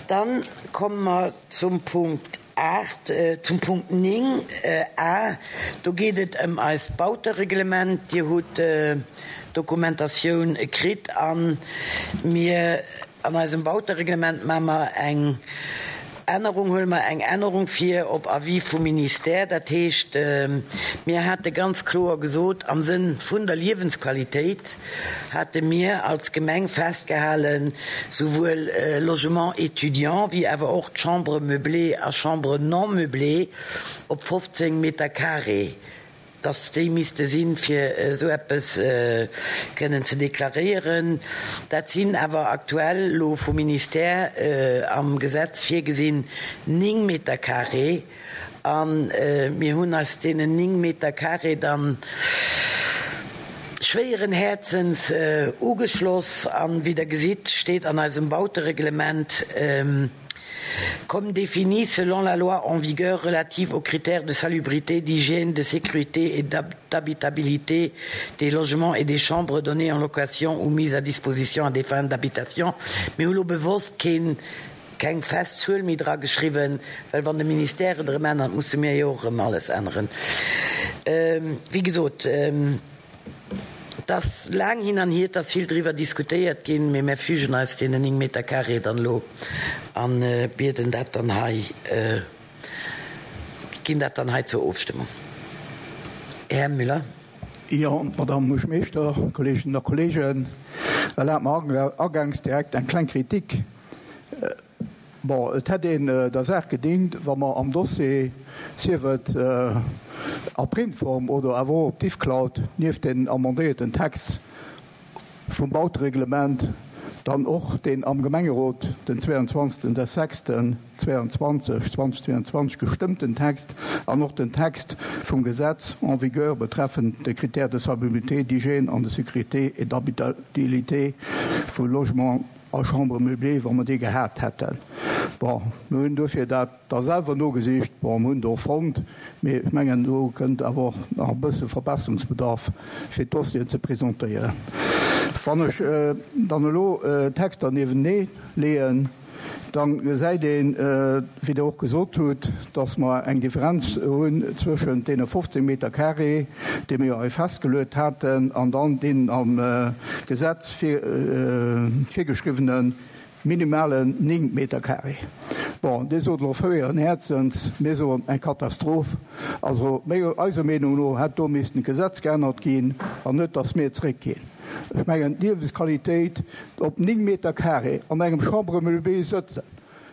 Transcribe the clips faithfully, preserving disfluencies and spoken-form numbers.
Dann komme mer zum Punkt aacht, zum Punkt néng a. Do geet et ëm eist Bautereglement. Dir hutt d'Dokumentatioun kritt a mir an eisem Bautereglement maache mer eng Ännerung, huele mer eng Ännerung vir op Avis vum Ministère. Dat heescht, mir hate ganz kloer gesot, am Sënn vun der Liewensqualitéit hate mir als Gemeng festgehalen, souwuel Logement étudiant wéi awer och d'Chambres meublées a Chambres non meublées op fofzéng Meter carré, dass déi misste sinn, fir esou eppes kënnen ze deklaréieren. Dat sinn awer aktuell elo vum Ministère am Gesetz virgesinn néng Meter carré. A mir hunn eis deenen néng Meter carré dann schwéieren Häerzens ugeschloss. An, wéi Der gesitt, steet an eisem Bautereglement, Comme défini selon la loi en vigueur relative aux critères de salubrité, d'hygiène, de sécurité et d'habitabilité des logements et des chambres données en location ou mises à disposition à des fins d'habitation. Mir hu lo bewosst keen, keng fest Zuel méi dra geschriwwen, well wann de Ministère et erëm ännert, musse mir jo och erëm alles änneren. Wéi gesot, Et ass laang hin an hier, et ass vill driwwer diskutéiert ginn, mee mär fügen eis deenen néng Meter carré dann elo a bieden dat dann hei, ginn dat dann hei zur Ofstëmmung. Här Müller. Jo, Madamm Buergermeeschter, Kolleeginnen a Kolleegen, erlaabt mer agaangs direkt eng kleng Kritik. Bon, et hätt een der Saach gedingt, wa mer am Dossier, sief et a Printform oder awer och op Diffcloud, nieft den amendéierten Text vum Bautereglement dann och deen am Gemengerot den zweiundzwanzigsten des sechsten zweiundzwanzig zweitausendzweiundzwanzig gestëmmten Text an och den Text vum Gesetz en vigueur betreffend de Critères de salubrité, d'hygiène an de sécurité et d'habitabilité vu Logements a Chambres meublées, wa mer déi gehat hätten. Bon, mir hunn duerfir dat da selwer nogesicht. Bon, mir hunn do fonnt, mee ech mengen, do kënnt awer och nach e bësse Verbesserungsbedarf, fir d'Dossieren ze presentéieren. Wann ech dann elo d'Texter niewenee leeën, da gesäit een, wéi Der och gesot hutt, dass mer eng Differenz hunn zwëschent deene fofzéng Meter carré, déi mir jo hei festgeluet haten, an dann deenen am Gesetz virgeschriwwene minimalen néng Meter carré. Bon, Dir sot elo fréieren Häerzens, mir soen eng Katastroph. Also eiser Meenung no hätt do missten d'Gesetz geännert ginn an net, dass mir zréckginn. Ech mengen, d'Liewensqualitéit op néng Meter carré an engem Chambre meublée sëtzen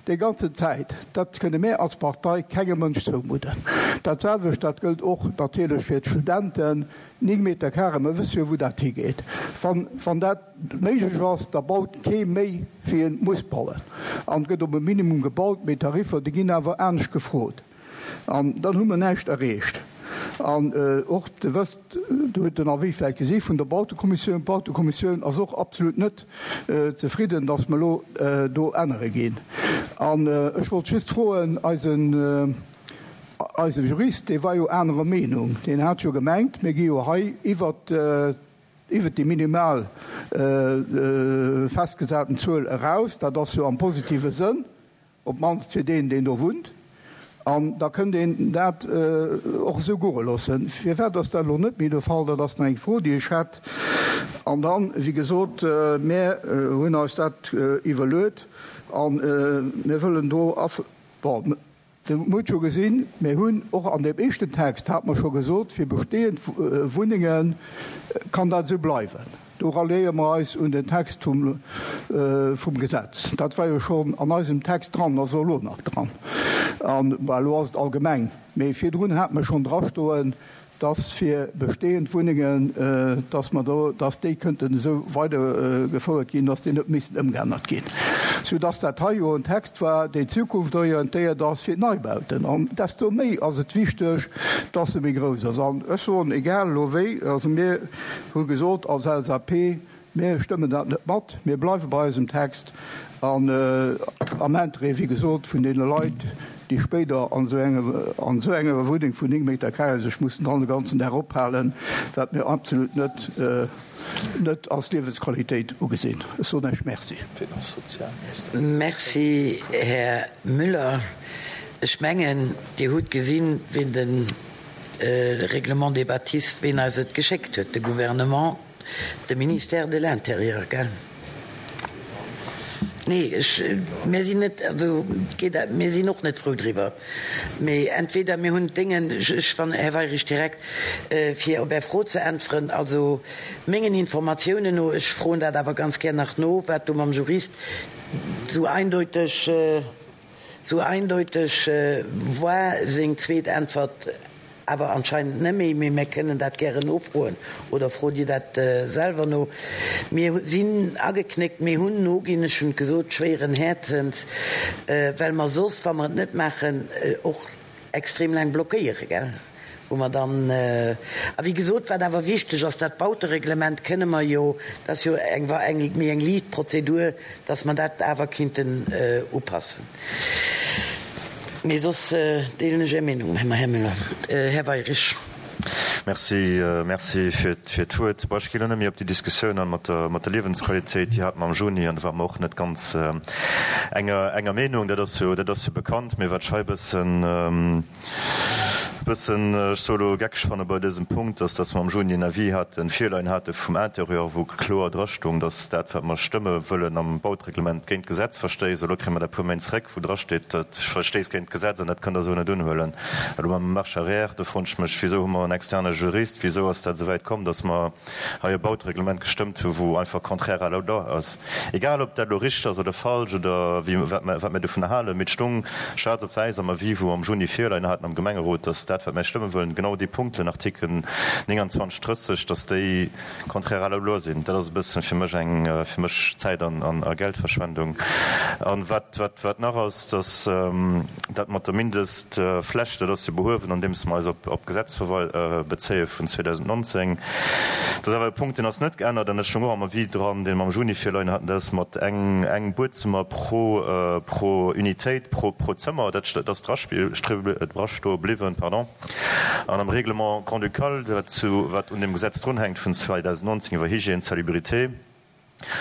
déi ganzen Zäit, dat kënne mär als Partei kengem Mënsch zoumudden. Dat selwecht, dat gëllt och natierlech fir d'Studenten, néng Meter carré, mer wësse jo wou dat higeet. Wann, wann dat méiglech ass, da baut kee méi wéi en muss bauen an et gëtt op e Minimum gebaut, mee d'Tariffer, déi ginn awer anescht gefrot an dann hu mer näischt erreecht. An och, Dir wësst, Dir hutt den Avis vläicht gesi vun der Bautekommissioun, d'Bautekommissioun ass och absolut net zefridden, dass mer elo do ännere ginn. An ech wollt just froen, eisen, eise Jurist, dee war jo anerer Meenung, deen hat jo gemengt, mir gi jo hei iwwert, iwwert déi minimal festgesaten Zuel eraus, dat ass jo am positive Sënn, op d'mannst fir deen, deen do wunnt, an da kënnt een dat och esou goe loossen. Firwat ass dat elo net méi de Fall? Dat ass nach eng Fro, déi ech hätt. An dann, wéi gesot, mär hunn eis dat iwwerluet a mir wëllen do, bon, Dir hutt scho gesinn, mir hunn och an deem éischten Text, hate mer scho gesot, fir bestehend Wunnenge kann dat esou bleiwen. Do ralliéiere mer eis un den Text vum Gesetz. Dat war jo schonn an eisem Text dran, ass och elo nach dran. An, bon, elo ass et allgemeng, mee virdrun hate mer schonn drastoen, dass fir bestehend Wunnengen, dass mer do, dass déi kënnten esou weidergefouert ginn, dass déi net missten ëmgeännert ginn, soudass dat hei jo en Text war, deen zukunftorientéiert ass fir d'Neibauten. An desto méi ass et wichteg, dass e méi grouss ass. An ech soen, egal elo wéi, also mir hu gesot als L S A P, mir stëmmen dat net mat, mir bleiwe bei eisem Text an am Interêt, wéi gesot, vun deene Leit, déi spéider an esou enger, an esou enger Wunneng vun néng Meter Carré sech mussen dann de ganzen Dag ophalen, wat mir absolut net, net als Liewensqualitéit ugesinn. Ech soen Iech Merci. Merci, Här Müller. Ech mengen, Dir hutt gesinn, wien de Règlement des bâtisses, wien eis et geschéckt huet, de Gouvernement, de Ministère de l'Intérieur, gell? Nee, ech, mir sinn net, also geet, mir sinn och net frou driwwer. Mee entweder mir hunn d'Déngen, ech, ech wann, Här Weyrich, direkt, fir op Är Fro ze äntweren, also mengen Informatiounen no, ech froen dat awer ganz gär nach no, wat do mam Jurist sou eindeuteg, sou eindeuteg war seng zweet Äntwert, awer anscheinend net méi, mee mir kënnen dat gären nofroen oder frot Dir dat selwer no. Mir sinn ageknéckt, mir hunn noginn, ech hunn et gesot, schwéieren Häerzens, well mer soss, wa mer et net maachen, och extrem laang blockéiere, gell, wou mer dann, a wéi gesot, wat awer wichteg ass, dat Bautereglement kënne mer jo, dat ass jo eng méi eng liicht Prozedur, dass mer dat awer kinnten upassen. Mee soss deelen ech Är Meenung, Här Müller. Här Weyrich. Merci, merci fir d'Wuert. Bon, ech ginn elo net méi op déi Diskussioun an mat der, mat der Liewensqualitéit. Déi hate mer am Juni an do ware mer och net ganz enger, enger Meenung. Dat ass jo, dat ass jo bekannt. Mee wat ech hei e bëssen, bëssen, ech soe elo geckeg fanne bei dësem Punkt, ass, dass mer am Juni en Avis haten, virleien hate vum Intérieur, wou kloer drastung, dass dat, wat mer stëmme wëllen am Bautereglement, géint d'Gesetz verstéisst. Elo kréie mer dat e puer Méint zréck, wou drasteet, dat verstéisst géint d'Gesetz an dat kënnt Der esou net unhuelen. Elo maache mer Marche arrière. Do froen ech mech, Wisou hu mer en externe Jurist? Wisou ass dat esou wäit komm, dass mer hei e Bautereglement gestëmmt hu wou einfach contraire à la loi ass? Egal ob dat elo richteg ass oder falsch oder wéi, wat mer, wat mir dovunner halen, mee et stoung schwaarz op wäiss am Avis, wou am Juni virleien haten am Gemengerot, dass dat, wat mär stëmme wëllen, genau déi Punkten, Artikel nénganzwanzeg, drësseg, dass déi contraire à la loi sinn. Dat ass e bëssen fir mech eng, fir mech Zäit an, an, a Geldverschwendung. An wat, wat, wat nach ass, dass dat mat der Mindestfläch, dat ass jo behuewen, andeems mer eis op, op d'Gesetz bezéie vun zweedausendnonzéng. Dat ass awer e Punkt, deen ass net geännert an ech stoung och am Avis dran, dee mer am Juni virleien haten, dat ass mat eng, eng Buedzëmmer pro, pro Unitéit, pro, pro Zëmmer, dat, dat ass drastoe bliwwen, pardon. An am Règlement grand-ducal, wat zu, wat un deem Gesetz drunhänkt vun zweedausendnonzéng iwwer Hygiène, Salubrité,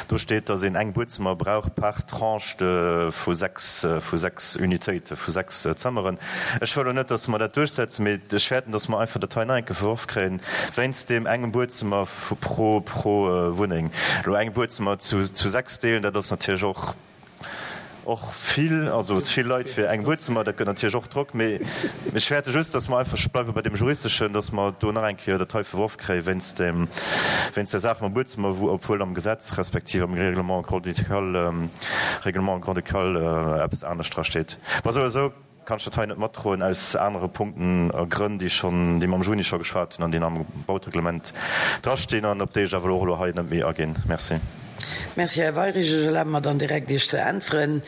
do steet, dass een eng Buedzëmmer brauch par Tranche de vu sechs, vu sechs Unitéite, vu sechs Zëmmeren. Ech wëll elo net, dass mer dat duerchsetzen, mee ech fäerten, dass mer einfach dat hei nach eng Kéier verworf kréien, wéinst deem engem Buedzëmmer pro, pro Wunneng. Elo eng Buedzëmmer zu, zu sechs deelen, dat ass natierlech och, och vill, also vill Leit fir eng Buedzëmmer, dat gëtt natierlech och Drock. Mee ech fäerte just, dass mer einfach bleiwe bei deem Juristeschen, dass mer do nach eng Kéier dat hei verworf kréie wéinst deem, wéinst där Saach mam Buedzëmmer, wou, obwuel am Gesetz respektiv am Règlement grand-ducal, Règlement grand-ducal eppes anescht drasteet. Bon, souwisou kann ech dat hei net matdroen aus anere Punkten a Grënn, déi schonn, déi mer am Juni scho geschwat hunn an déi am Bautereglement drastinn an op déi ech awer elo och elo hei net méi aginn. Merci. Merci, Här Weyrich. Ech erlabe mer dann direkt, Iech ze äntweren.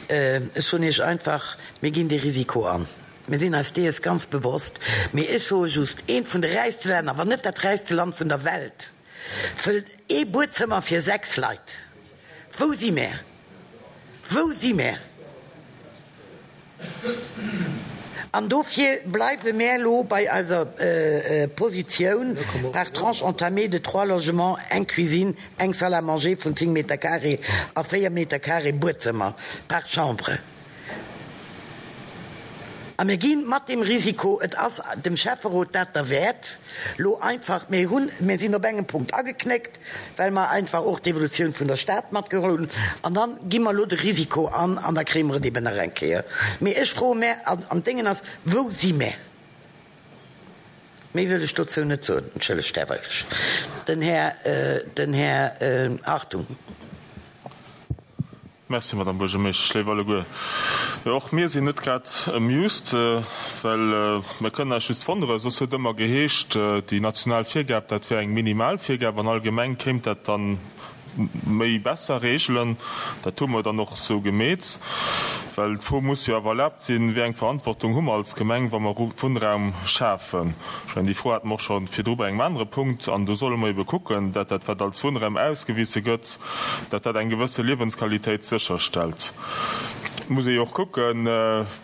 Ech soen Iech einfach, Mir ginn dee Risiko an. Mir sinn eis dees ganz bewosst. Mee ech soe just, Eent vun de räichste Länner, wann net dat räichste Land vun der Welt, wëllt ee Buedzëmmer fir sechs Leit. Wou si mär? Wou si mär? An dofir bleiwe mär elo bei eiser Positioun, par tranche entamée de trois logements, eng Cuisine, eng Salle à manger vun zéng Meter carré a véier Meter carré Buedzëmmer par chambre. A mir gi mat deem Risiko, et ass dem Schäfferot dat derwäert, lo einfach, mir hunn, mir sinn op engem Punkt ageknéckt, well mer einfach och d'Evolutioun vun der Stad matgeholl hunn, an da gi mer elo de Risiko an, an da kréie mer et eben nach eng Kéier. Mee ech froe mär, an, an d'Déngen ass, Wou si mär? Méi wëll ech dozou net soen. Entschëllegt, Här Weyrich. Den Här, den Här Hartung. Merci, Madame Buergermeeschtesch. Léif alleguer, jo, och mir sinn net grad amused, well mir kënnen eis just wonneren, soss huet ëmmer geheescht, déi national Virgab, dat wär eng minimal Virgab an allgemeng kéim dat dann méi besser regelen. Dat hu mer dann och esou gemeet, well d'Fro muss jo awer erlaabt sinn, Wéi eng Verantwortung hu mer als Gemeng, wa mer Wunnraum schafen? Ech mengen, déi Fro hate mer och scho virdru bei engem anere Punkt. An do solle mer ebe kucken, dat dat, wat als Wunnraum ausgewise gëtt, dat dat eng gewësse Liewensqualitéit sécherstellt. Muss ee jo och kucken,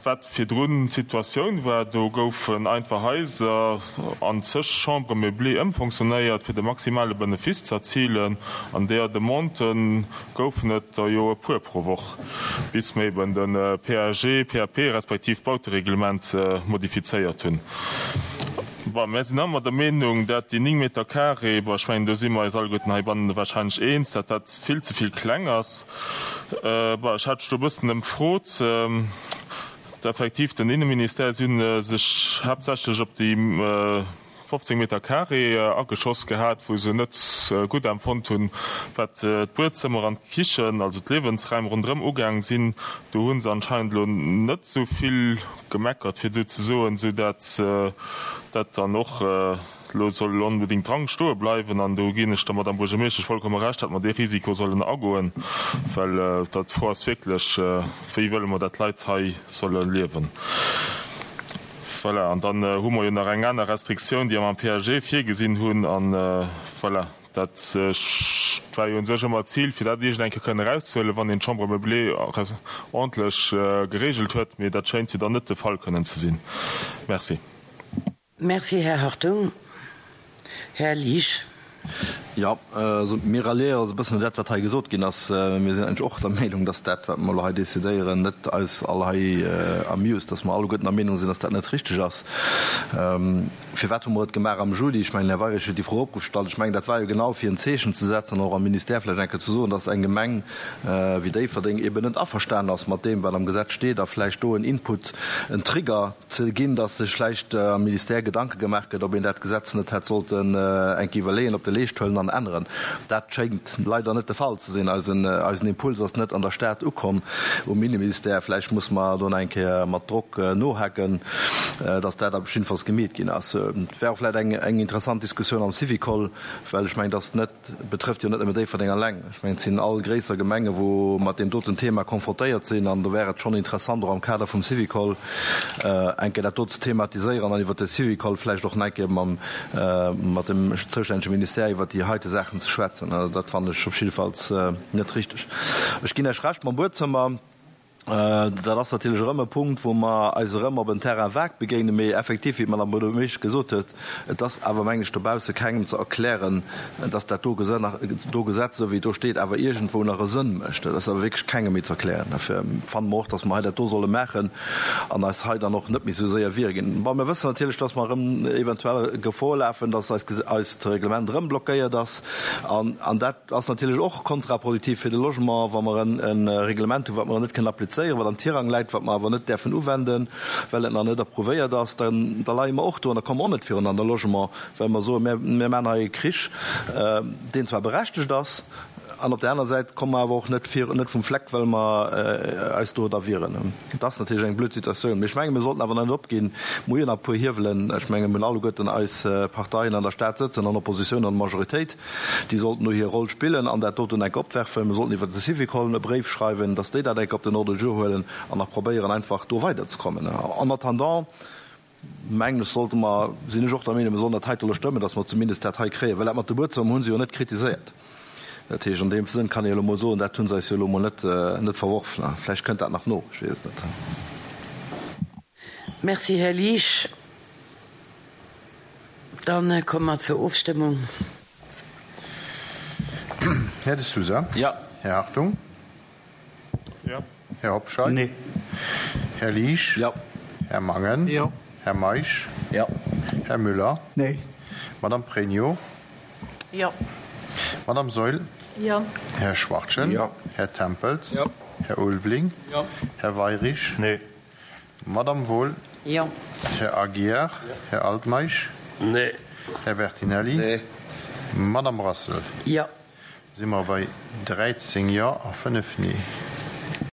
wat virdrun d'Situatioun war. Do goufen einfach Haiser an zeg Chambres meublées ëmfonctionnéiert, fir de maximale Benefice ze erzilen. An deeër Demandë goufen et der jo e puer pro Woch, bis mer eben de PAG, PAP respektiv d'Bautereglement modifizéiert hunn. Bon, mär sinn ëmmer der Meenung, dat déi néng Meter carré, bon, ech mengen, do si mer eis alleguerten heibannen wahrscheinlech eens, dat dat vill ze vill kleng ass. Bon, ech hat mech do e bëssen ëmfrot, effektiv, den Inneministère, si hunn sech haaptsächlech op déi fofzéng Meter carré ageschoss gehat, wou se net gutt empfonnt hunn, wat d'Buedzëmmer an d'Kichen, also d'Liewensräim ronderëm ugaang sinn. Do hu se anscheinend elo net esou vill gemeckert, fir et esou ze soen, esou dat dat dann och elo soll onbedéngt dran stoe bleiwen. An do ginn ech der Madame Buergermeeschtesch vollkomme Recht, datt mer dee Risiko sollen agoen, well dat d'Fro ass wierklech, Wéi wëlle mer, dat d'Leit hei solle liewen? Voilà, an dann hu mer jo nach eng aner Restriktioun, déi mer am PAG virgesinn hunn. An voilà, dat war jo u sech ëmmer d'Zil, fir dat iergend eng Kéier kënnen erauszehuelen, wann een d'Chambre meublée ordentlech geregelt huet. Mee dat schéint jo dann net de Fall kënnen ze sinn. Merci. Merci, Här Hartung. Här Liesch. Jo, also mir ralliéiere eis e bëssen un dat, wat hei gesot ginn ass. Mir sinn eigentlech och der Meenung, dass dat, wat mer elo hei decidéieren, net eis all hei amused, dass mer alleguerten der Meenung sinn, dass dat net richteg ass. Firwat hu mer et gemaach am Juli? Ech mengen, den Här Weyrich huet déi Fro opgestallt. Ech mengen, dat war jo genau, fir en Zeechen ze setzen an och am Ministère vläicht eng Kéier ze soen, dass eng Gemeng wéi Déifferdeng eeben net averstanen ass mat deem, wat am Gesetz steet a vläicht do en Input, en Trigger ze ginn, dass sech vläicht am Ministère Gedanke gemaach gëtt, ob een dat Gesetz net hätt sollten eng Kéier iwwerleeën, op de Leescht huelen an änneren. Dat schéngt leider net de Fall ze sinn. Eisen, eisen Impuls ass net an der Stad ukomm um Inneministère. Vläicht muss mer do nach eng Kéier mat Drock nohaken, dass dat op jiddefalls gemeet ginn ass. Et wär och vläicht eng, eng interessant Diskussioun am Syvicol, well ech mengen, dass net, betrëfft jo net nëmme Déifferdeng alleng. Ech mengen, et sinn all gréisser Gemenge wou mat deem doten Thema konfrontéiert sinn an do wär et schonn interessant, och am Kader vum Syvicol eng Kéier dat do ze thematiséieren an iwwert de Syvicol vläicht och nach eng Kéier mam, mat dem zoustännege Ministère iwwert déi heite Saachen ze schwätzen. Dat fannen ech op jiddefalls net richteg. Ech ginn Iech Recht mam Buedzëmmer. Dat ass natierlech erëm e Punkt, wou mer eis erëm op en Terrain vague begéinen. Mee effektiv, wéi d'Madame Buergermeeschtesch gesot huet, et ass awer, mengen ech, dobausse kengem ze erklären, dass dat do do Gesetz, esou wéi et do steet, awer iergendwou nach e Sënn mécht. Dat ass awer wierklech kengem méi ze erklären. Dofir fanne mer och, dass mer hei dat do solle maachen an eis hei dann och net méi esou séier wiere ginn. Bon, mir wëssen natierlech, dass mer erëm eventuell Gefor lafen, dass eist Reglement erëm blockéiert ass. An dat ass natierlech och kontraproduktiv fir de Logement, wa mer e Reglement hunn, wat mer net kënnen applizéieren, wat am Tirang läit, wat mer awer net däerfen uwenden, well et nach net approuvéiert ass. Da leie mer och do an da komme mer och net virun an de Logement, well mer soen, mir maachen hei e Krich, deen zwar berechtegt ass, an op där aner Säit komme mer awer och net vir, net vum Fleck, well mer eis do da wieren. Et ass natierlech eng blöd Situatioun, mee ech menge mir sollten awer net opginn. Mir hu jo nach e puer Hiewelen. Ech menge mir hunn alleguerten eis Parteien an der Stad sëtzen, an Oppositioun an Majoritéit, déi sollten do hir Roll spillen an dat doten enk opwerfen. Mir sollten iwwert de Syvicol e Bréif schreiwen, datt déi dat enk op den Ordre du jour huelen an nach probéieren einfach do weiderzekommen. En attendant, mengen ech, sollte mer, sinn ech och der Meenung, mir sollen dat heite elo stëmmen, datt mer zumindest dat hei kréien, well dat mat de Buedzëmmer hu se jo net kritiséiert. Dat heescht, an deem Sënn kann ee jo elo mol soen, dat hu se eis jo elo mol net, net verworf. Vläicht kënnt dat nach no, ech weess et net. Merci, Här Liesch. Da komme mer zur Ofstëmmung. Här De Sousa. Jo. Här Hartung. Jo. Här Hobscheit. Nee. Här Liesch. Jo. Här Mangen. Jo. Här Meisch. Jo. Här Müller. Nee. Madame Pregno. Jo. Madame Saeul. Jo. Här Schwachtgen. Jo. Här Tempels. Jo. Här Ulveling. Jo. Här Weyrich. Nee. Madame Wohl. Jo. Här Aguiar. Jo. Här Altmeisch. Nee. Här Bertinelli. Nee. Madame Brassel. Jo. Si mer bei dräizéng Jo a fënnef Nee.